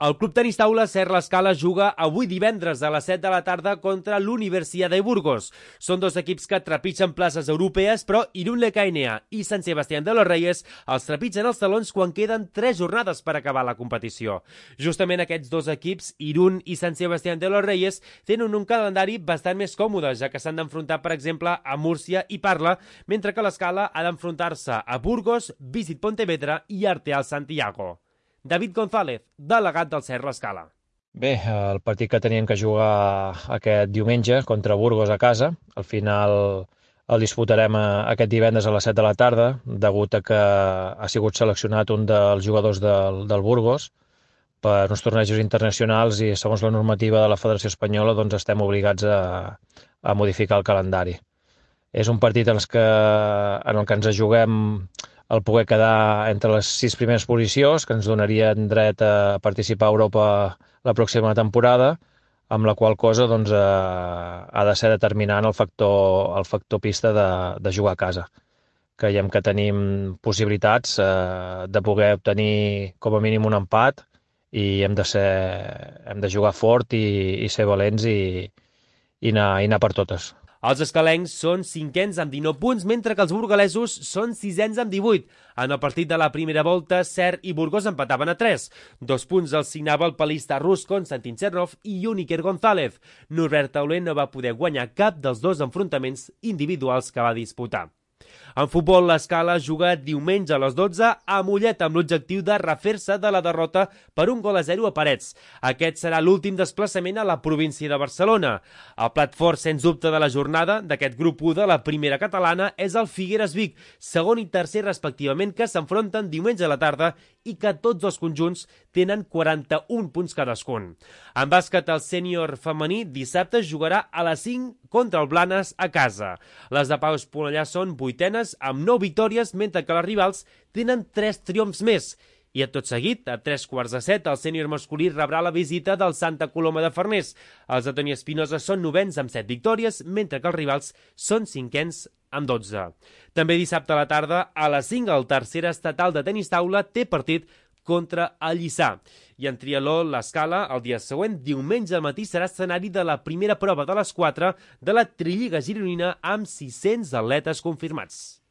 El Club Tenis Taula Ser l'Escala juga avui divendres a les 7 de la tarda contra l'Universitat de Burgos. Són dos equips que trepitgen places europees, però Irún Lecainea i Sant Sebastián de los Reyes els trepitgen els talons quan queden 3 jornades per acabar la competició. Justament aquests dos equips, Irún i Sant Sebastián de los Reyes, tenen un calendari bastant més còmode, ja que s'han d'enfrontar, per exemple, a Múrcia i Parla, mentre que l'Escala ha d'enfrontar-se a Burgos, Visit Pontevedra i Arteal Santiago. David González, delegat del Ser l'Escala. Bé, el partit que teníem que jugar aquest diumenge contra Burgos a casa, al final el disputarem aquest divendres a les 7 de la tarda, degut a que ha sigut seleccionat un dels jugadors del Burgos per uns tornejos internacionals i segons la normativa de la Federació Espanyola doncs estem obligats a modificar el calendari. És un partit en el que ens juguem el poder quedar entre les 6 primeres posicions, que ens donarien dret a participar a Europa la pròxima temporada, amb la qual cosa doncs, ha de ser determinant el factor pista de jugar a casa. Creiem que tenim possibilitats de poder obtenir com a mínim un empat i hem de jugar fort i ser valents i anar per totes. Els escalencs són 5ens amb 19 punts, mentre que els burgalesos són 6ens amb 18. En el partit de la primera volta, Ser i Burgos empataven a 3. 2 punts els signava el palista rus Konstantin Chernov i Iker González. Norbert Tauler no va poder guanyar cap dels dos enfrontaments individuals que va disputar. En futbol, l'Escala juga diumenge a les 12 a Mollet amb l'objectiu de refer-se de la derrota per 1-0 a Parets. Aquest serà l'últim desplaçament a la província de Barcelona. El plat fort, sens dubte, de la jornada d'aquest grup 1 de la primera catalana és el Figueres Vic, segon i tercer respectivament, que s'enfronten diumenge a la tarda i que tots dos conjunts tenen 41 punts cadascun. En bàsquet, el sènior femení dissabte jugarà a les 5 contra el Blanes a casa. Les de Pau Esponellà són 8enes amb 9 victòries, mentre que les rivals tenen 3 triomfs més. I tot seguit, a 3:15, el sènior masculí rebrà la visita del Santa Coloma de Farners. Els de Toni Espinosa són 9ens amb 7 victòries, mentre que els rivals són 5ens amb 12. També dissabte a la tarda, a les 5, el tercer estatal de tenis taula té partit contra el Lliçà. I en triatló, l'Escala, el dia següent, diumenge al matí, serà escenari de la primera prova de les 4 de la Trilliga gironina amb 600 atletes confirmats.